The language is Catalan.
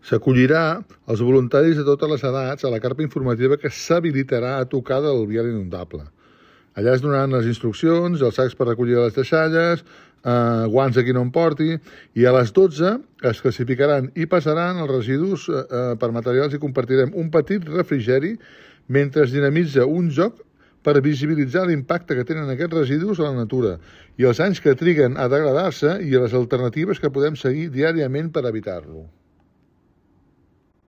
S'acollirà els voluntaris de totes les edats a la carpa informativa que s'habilitarà a tocar del vial inundable. Allà es donaran les instruccions, els sacs per recollir les deixalles, guants a qui no en porti, i a les 12 es classificaran i passaran els residus per materials i compartirem un petit refrigeri mentre es dinamitza un joc per visibilitzar l'impacte que tenen aquests residus a la natura i els anys que triguen a degradar-se i les alternatives que podem seguir diàriament per evitar-lo.